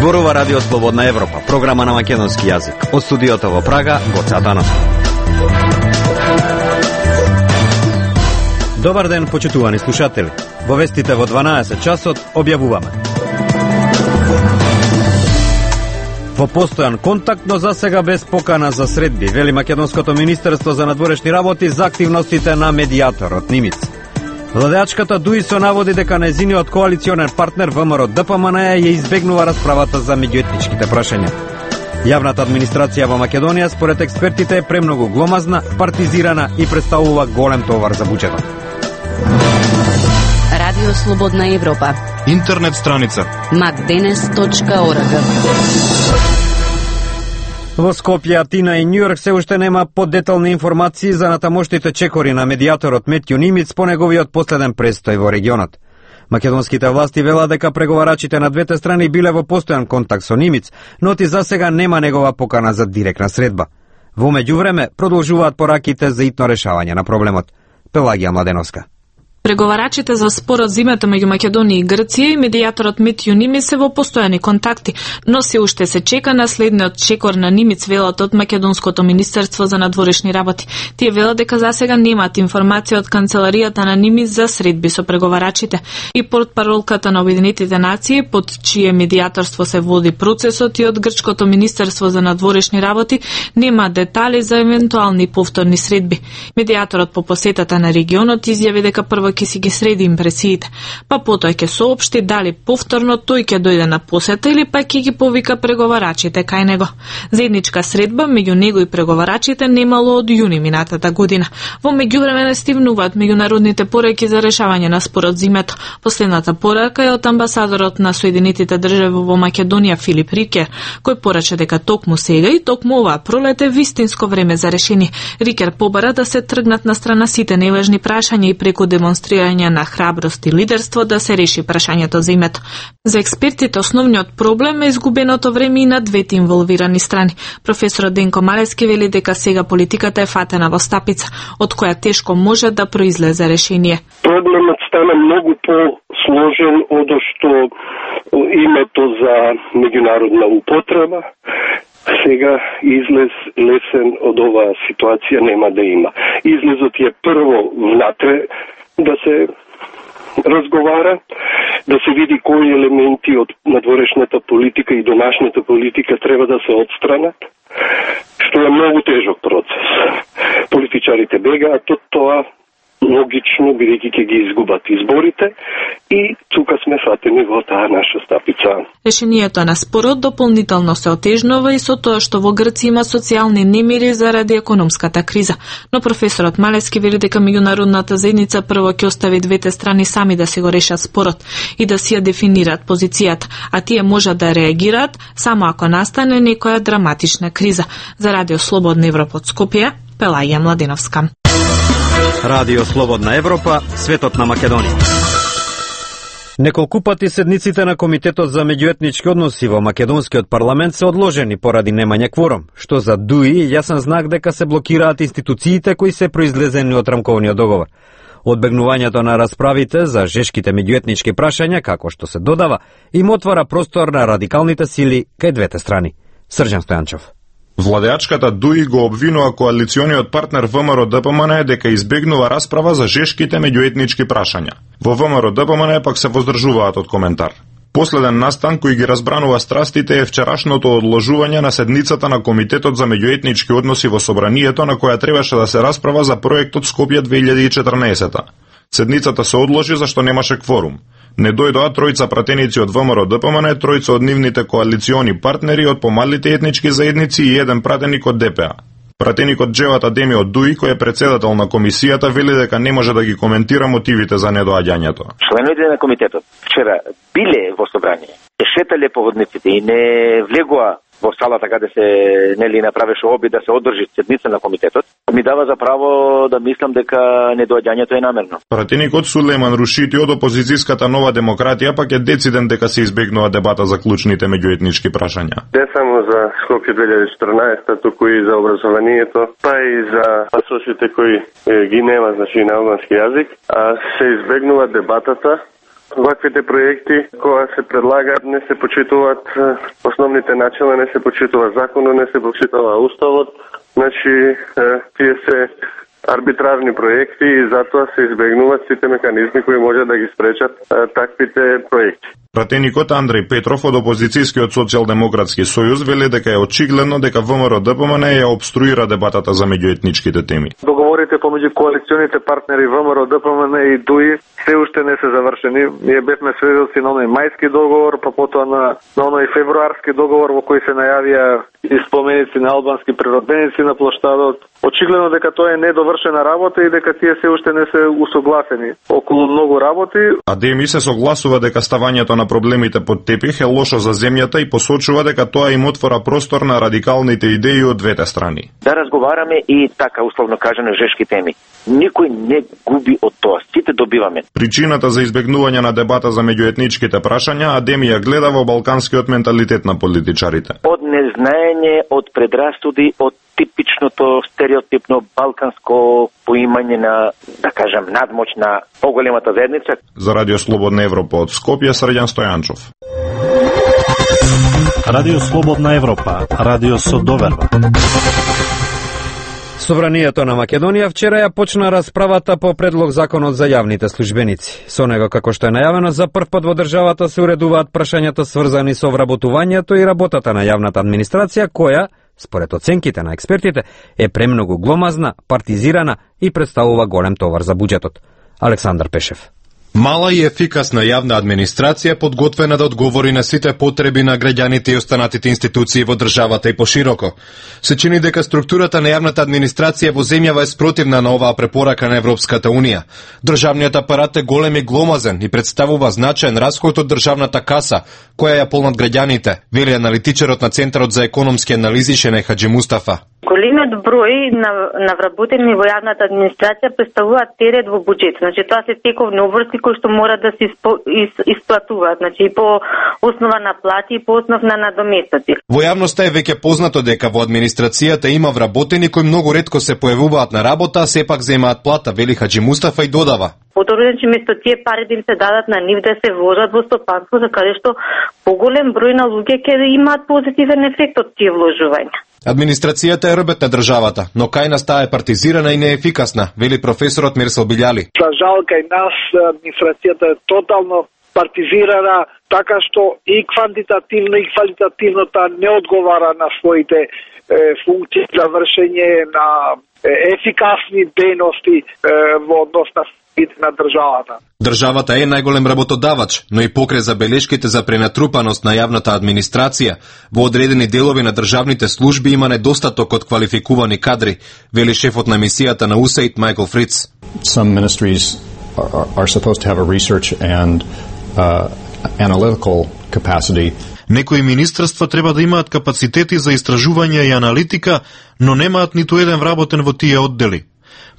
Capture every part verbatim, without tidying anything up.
Зборува Радио Слободна Европа, програма на македонски јазик. Од студиото во Прага, Гоце Атанасов. Добар ден, почитувани слушатели. Во вестите во дванаесет часот објавуваме. Во постојан контакт, но за сега без покана за средби, вели Македонското министерство за надворешни работи за активностите на медијаторот Нимиц. Владеачката ДУИ со наводи дека нејзиниот коалиционер партнер ВМРО ДПМН ја избегнува расправата за меѓуетничките прашања. Јавната администрација во Македонија според експертите е премногу гломазна, партизирана и представува голем товар за буџетот. Радио Слободна Европа. Интернет страница макденес точка орг. Во Скопје, Атина и Њујорк се уште нема подетални информации за натамошните чекори на медијаторот Метју Нимиц по неговиот последен престој во регионот. Македонските власти велат дека преговарачите на двете страни биле во постојан контакт со Нимиц, но ти за сега нема негова покана за директна средба. Во меѓувреме продолжуваат пораките за итно решавање на проблемот. Пелагија Младеновска. Преговарачите за спорот зимата меѓу Македонија и Грција и медијаторот Метју Нимиц се во постојани контакти, но се уште се чека на следниот чекор на Нимиц, велат од Македонското министерство за надворешни работи. Тие велат дека за сега немаат информација од канцеларијата на Нимиц за средби со преговарачите. И портпаролката на Обединетите нации, под чие медијаторство се води процесот, и од Грчкото министерство за надворешни работи нема детали за евентуални повторни средби. Медијаторот по посетата на регионот изјави дека прво ќе си ги среди импресиите, па потоа ќе соопшти дали повторно тој ќе дојде на посета или па ќе ги повика преговарачите кај него. Заедничка средба меѓу него и преговарачите немало од јуни минатата година. Во меѓувреме не стигнуваат меѓународните пораки за решавање на спорот зимето. Последната порака е од амбасадорот на Соединетите држави во Македонија Филип Рикер, кој порача дека токму сега и токму оваа пролет е вистинско време за решение. Рикер побара да се тргнат на страна сите неважни прашања и преку демонстрирање на храброст и лидерство да се реши прашањето за името. За експертите основниот проблем е изгубеното време и на двете инволвирани страни. Професорот Денко Малески вели дека сега политиката е фатена во стапица, од која тешко може да произлезе решение. Проблемот стана многу по-сложен од што името за меѓународна употреба. Сега излез лесен од оваа ситуација нема да има. Излезот е прво внатре да се разговара, да се види кои елементи од надворешната политика и домашната политика треба да се отстранат, што е многу тежок процес. Политичарите бегаат од тоа, логично, бидејќи ќе ги изгубат изборите, и тука сме фатени во таа наша стапица. Решението на спорот дополнително се отежнува и со тоа што во Грција има социјални немири заради економската криза. Но професорот Малески вели дека меѓународната заедница прво ќе остави двете страни сами да се го решат спорот и да си ја дефинираат позицијата, а тие можат да реагираат само ако настане некоја драматична криза. За Радио Слободна Европа од Скопје, Пелагија Младеновска. Радио Слободна Европа, светот на Македонија. Неколку пати седниците на Комитетот за меѓуетнички односи во македонскиот парламент се одложени поради немање кворум, што за ДУИ е јасен знак дека се блокираат институциите кои се произлезени од рамковниот договор. Одбегнувањето на расправите за жешките меѓуетнички прашања, како што се додава, им отвара простор на радикалните сили кај двете страни. Срđan Стојанчов. Владеачката ДУИ го обвинува коалициониот партнер ВМРО ДПМН дека избегнува расправа за жешките меѓуетнички прашања. Во ВМРО ДПМН пак се воздржуваат од коментар. Последен настан кој ги разбранува страстите е вчерашното одложување на седницата на Комитетот за меѓуетнички односи во Собранието, на која требаше да се расправа за проектот Скопје две илјади и четрнаесета. Седницата се одложи зашто немаше кворум. Не дојдоа тројца пратеници од ВМРО ДПМН, тројца од нивните коалициони партнери од помалите етнички заедници и еден пратеник од ДПА. Пратеникот Джеват Адеми од ДУИ, кој е председател на комисијата, вели дека не може да ги коментира мотивите за недоаѓањето. Членовите на комитетот вчера биле во собрание, шетале по водниците и не влегоа во салата каде се нели направеше обид да се одржи седница на комитетот, ми дава за право да мислам дека недоаѓањето е намерно. Пратеникот Сулейман Рушити од опозицијската Нова демократија пак е дециден дека се избегнува дебата за клучните меѓуетнички прашања. Не само за Скопје две илјади и четрнаесета, туку и за образованието, па и за пасошите кои ги нема, значи на албански јазик, а се избегнува дебатата Ваквите проекти кои се предлагаат не се почитуваат основните начала, не се почитува законот, не се почитува уставот. Значи, тие се арбитрарни проекти и затоа се избегнуваат сите механизми кои можат да ги спречат таквите проекти. Пратеникот Андреј Петров од опозицијскиот социјалдемократски сојуз вели дека е очигледно дека ВМРО-ДПМН ја обструира дебатата за меѓуетничките теми. Договорите помеѓу коалиционите партнери ВМРО-ДПМН и ДУИ се уште не се завршени. Ние бевме сведоци на оној мајски договор, па потоа на, на оној февруарски договор во кој се најавија и споменици на албански природеници на плоштадот. Очигледно дека тоа е недовршена работа и дека тие се уште не се усогласени околу многу работи. АДЕМИ се согласува дека ставањето на проблемите под тепих е лошо за земјата и посочува дека тоа им отвора простор на радикалните идеи од двете страни. Да разговараме и така условно кажано жешки теми. Никој не губи од тоа, сите добиваме. Причината за избегнување на дебата за меѓуетничките прашања АДЕМИ ја гледа во балканскиот менталитет на политичарите. Од незнаење, од предрасуди, од типичното стереотипно балканско поимање на, да кажем, надмоќ на поголемата заедница. За Радио Слободна Европа од Скопје, Срđan Стојанчов. Радио Слободна Европа, радио со доверба. Собранието на Македонија вчера ја почна расправата по предлог законот за јавните службеници. Со него, како што е најавено, за прв пат во државата се уредуваат прашањата сврзани со вработувањето и работата на јавната администрација, која, според оценките на експертите, е премногу гломазна, партизирана и представува голем товар за буџетот. Александар Пешев. Мала и ефикасна јавна администрација подготвена да одговори на сите потреби на граѓаните и останатите институции во државата и пошироко. Се чини дека структурата на јавната администрација во земјава е спротивна на оваа препорака на Европската унија. Државниот апарат е голем и гломазен и представува значаен расход од државната каса, која ја полнат граѓаните, вели аналитичарот на Центарот за економски анализи Шене Хаджи Мустафа. Големиот број на, на вработени во јавната администрација представуваат терет во буџет. Значи тоа се тековни обврски кои што мора да се испо, ис, исплатуваат, значи и по основа на плати и по основа на надоместоци. Во јавноста е веќе познато дека во администрацијата има вработени кои многу ретко се појавуваат на работа, а сепак земаат плата, вели Хаджи Мустафа и додава. Подобро, значи место тие пари да им се дадат на нив да се вложат во стопанство, за каде што поголем број на луѓе ќе имаат позитивен ефект од тие вложувања. Администрацијата е рбет на државата, но кај нас таа е партизирана и неефикасна, вели професорот Мирсел Билјали. За жал кај нас администрацијата е тотално партизирана, така што и квантитативно и квалитативно таа не одговара на своите е, функции за вршење на е, ефикасни дејности е, во однос на на државата. Државата е најголем работодавач, но и покрај забелешките за пренатрупаност на јавната администрација, во одредени делови на државните служби има недостаток од квалификувани кадри, вели шефот на мисијата на ю ес ей ай ди Майкл Фриц. Some ministries are, are supposed to have a research and uh, analytical capacity. Некои министерства треба да имаат капацитети за истражување и аналитика, но немаат ниту еден вработен во тие оддели.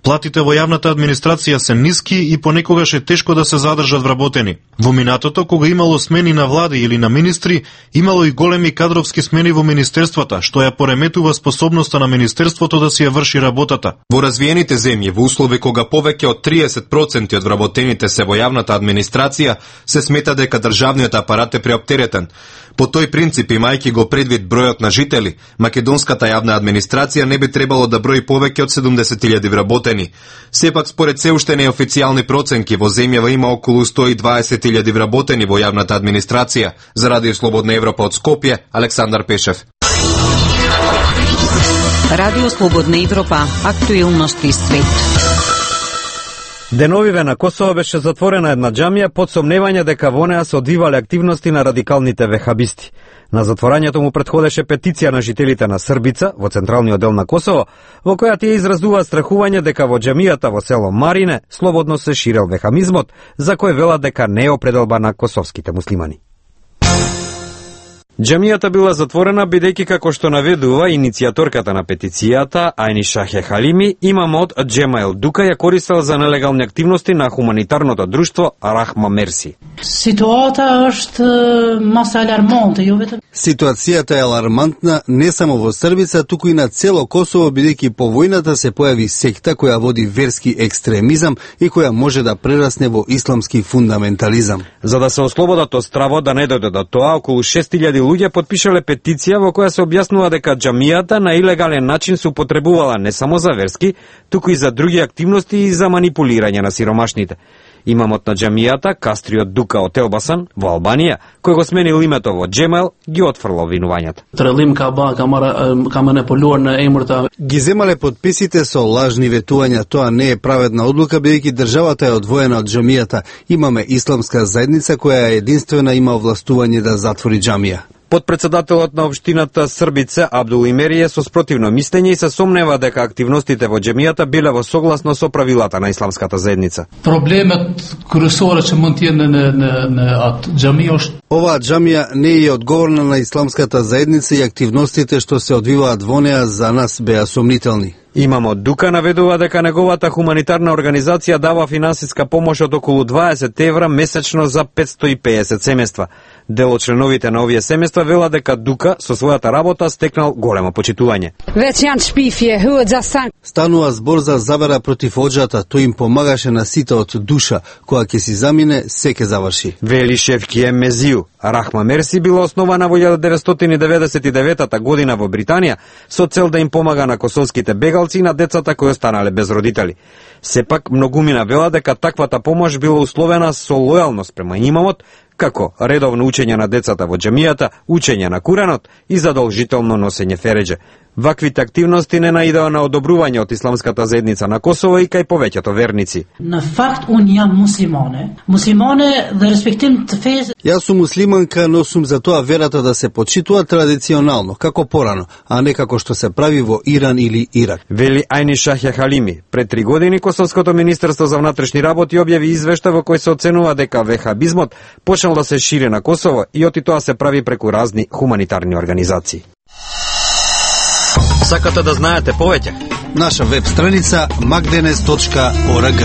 Платите во јавната администрација се ниски и понекогаш е тешко да се задржат вработени. Во минатото, кога имало смени на влади или на министри, имало и големи кадровски смени во министерствата, што ја пореметува способноста на министерството да си ја врши работата. Во развиените земји, во услови кога повеќе од триесет проценти од вработените се во јавната администрација, се смета дека државниот апарат е преоптеретен. По тој принцип, имајќи го предвид бројот на жители, македонската јавна администрација не би требало да брои повеќе од седумдесет илјади вработени. Сепак, според се уште неофицијални проценки, во земјава има околу сто и дваесет илјади вработени во јавната администрација. За Радио Слободна Европа од Скопје, Александар Пешев. Радио Слободна Европа, актуелности свет. Деновиве на Косово беше затворена една џамија под сомневање дека во неа се одвивале активности на радикалните вехабисти. На затворањето му претходеше петиција на жителите на Србица во централниот дел на Косово, во која тие изразуваат страхување дека во џамијата во село Марине слободно се ширел вехамизмот, за кој велат дека не е определба на косовските муслимани. Џамијата била затворена бидејќи, како што наведува иницијаторката на петицијата Ајни Шахе Халими, имамот Џемаел Дука ја користел за нелегални активности на хуманитарното друштво Рахма Мерси. Ситуата është маса алармонте, jo vetëm. Ситуацијата е алармантна не само во Србица, туку и на цело Косово, бидејќи по војната се појави секта која води верски екстремизам и која може да прерасне во исламски фундаментализам. За да се ослободат од стравот да не дојде до тоа, околу шест илјади луѓе потпишале петиција во која се објаснува дека џамијата на илегален начин се употребувала не само за верски, туку и за други активности и за манипулирање на сиромашните. Имамот на џамијата, Кастриот Дука од Елбасан, во Албанија, кој го сменил името во Џемел, ги отфрла обвинувањата. Трелим ка ба ка мара ка манипулуар на емрта. Ги земале подписите со лажни ветувања, тоа не е праведна одлука бидејќи државата е одвоена од џамијата. Имаме исламска заедница која е единствена има овластување да затвори џамија. Подпредседателот на општината Србице Абдул Имери е со спротивно мислење и се сомнева дека активностите во џемијата биле во согласно со правилата на исламската заедница. Проблемот крусора че мund të jetë në në në atë xhami është Оваа џамија не е одговорна на исламската заедница и активностите што се одвиваат во неа за нас беа сомнителни. Имамот Дука наведува дека неговата хуманитарна организација дава финансиска помош од околу дваесет евра месечно за петстотини и педесет семејства. Дел од членовите на овие семејства вела дека Дука со својата работа стекнал големо почитување. Станува збор за завера против оџата, тој им помагаше на сите од душа, кога ќе си замине, се ќе заврши. Вели Шефки Мезију, Рахма Мерси била основана во илјада деветстотини деветдесет и девета година во Британија со цел да им помага на косовските бегалци и на децата кои останале без родители. Сепак, многумина вела дека таквата помош била условена со лојалност према имамот, како редовно учење на децата во џамијата, учење на Куранот и задолжително носење фередже. Ваквите активности не наидеа на одобрување од исламската заедница на Косово и кај повеќето верници. На факт уnë јам муслимане, муслимане да респектирам të fesë. Јас сум муслиманка, но сум за тоа верата да се почитува традиционално, како порано, а не како што се прави во Иран или Ирак. Вели Ајни Шахе Халими. Пред три години Косовското министерство за внатрешни работи објави извештај во кој се оценува дека вехабизмот почнал да се шири на Косово и оти тоа се прави преку разни хуманитарни организации. Сакате да знаете повеќе? Наша веб страница magdenes точка org.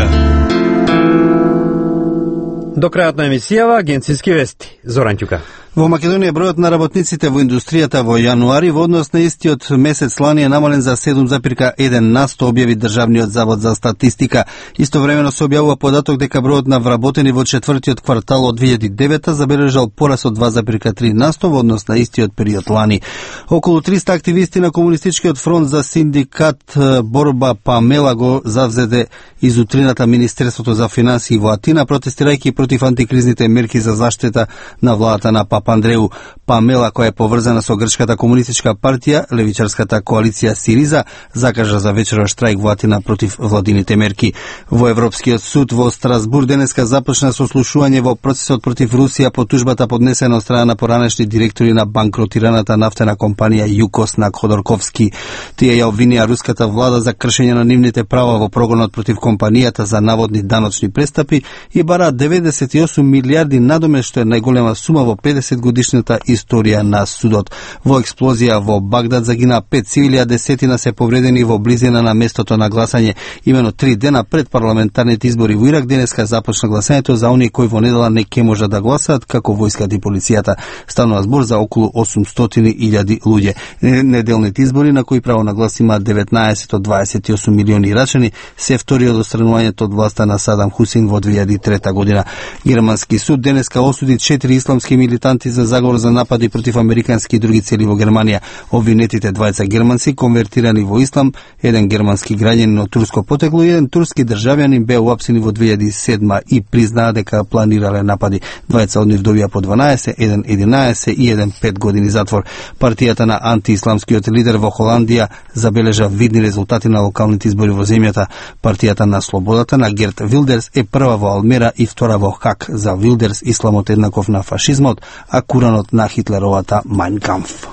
До крајот на емисијава агенцијски вести. Зоран Ќука. Во Македонија бројот на работниците во индустријата во јануари во однос на истиот месец лани е намален за седум запирка еден на сто, објави Државниот завод за статистика. Истовремено се објавува податок дека бројот на вработени во четвртиот квартал од две илјади и девета забележал порас од два запирка три на сто во однос на истиот период лани. Околу триста активисти на Комунистичкиот фронт за синдикат Борба Памела го завзеде из утрината Министерството за финансии во Атина, протестирајќи против антикризните мерки за заштита на владата на Папандреу. Памела, која е поврзана со Грчката комунистичка партија, левичарската коалиција Сириза, закажа за вечеров штрајк во Атина против владините мерки. Во Европскиот суд во Страсбур денеска започна сослушување во процесот против Русија по тужбата поднесена од страна на поранешни директори на банкротираната нафтена компанија ЮКОС на Ходорковски. Тие ја обвинија руската влада за кршење на нивните права во прогонот против компанијата за наводни даночни престапи и бараат деветдесет и осум милиарди надомест, што е најголема сума во педесет годишната историја на судот. Во експлозија во Багдад загина пет цивили, а десетина се повредени во близина на местото на гласање. Имено три дена пред парламентарните избори во Ирак денеска започна гласањето за оние кои во недела не ќе можат да гласаат, како војската и полицијата. Станува збор за околу осумстотини илјади луѓе. Неделните избори на кои право на глас има деветнаесет од дваесет и осум милиони ирачани, се втори од отстранувањето од власта на Садам Хусин во две илјади и трета година. Германски суд денеска осуди четири исламски милитанти за заговор за напади против американски и други цели во Германија. Обвинетите двајца германци конвертирани во ислам, еден германски граѓанин од турско потекло и еден турски државјанин беа уапсени во две илјади и седма и признаа дека планирале напади. Двајца од нив добија по дванаесет, еден единаесет и еден пет години затвор. Партијата на антиисламскиот лидер во Холандија забележа видни резултати на локалните избори во земјата. Партијата на слободата на Герт Вилдерс е прва во Алмера и втора во Хак. За Вилдерс исламот еднаков на фашизмот, а Куранот на Хитлеровата Mein Kampf.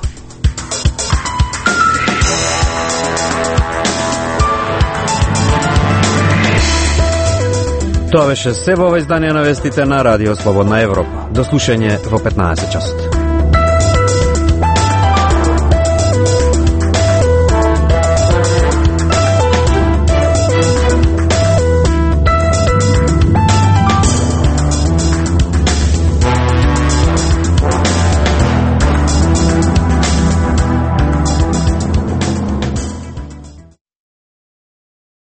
Тоа беше се во издание на вестите на Радио Слободна Европа. До слушање во петнаесет часот.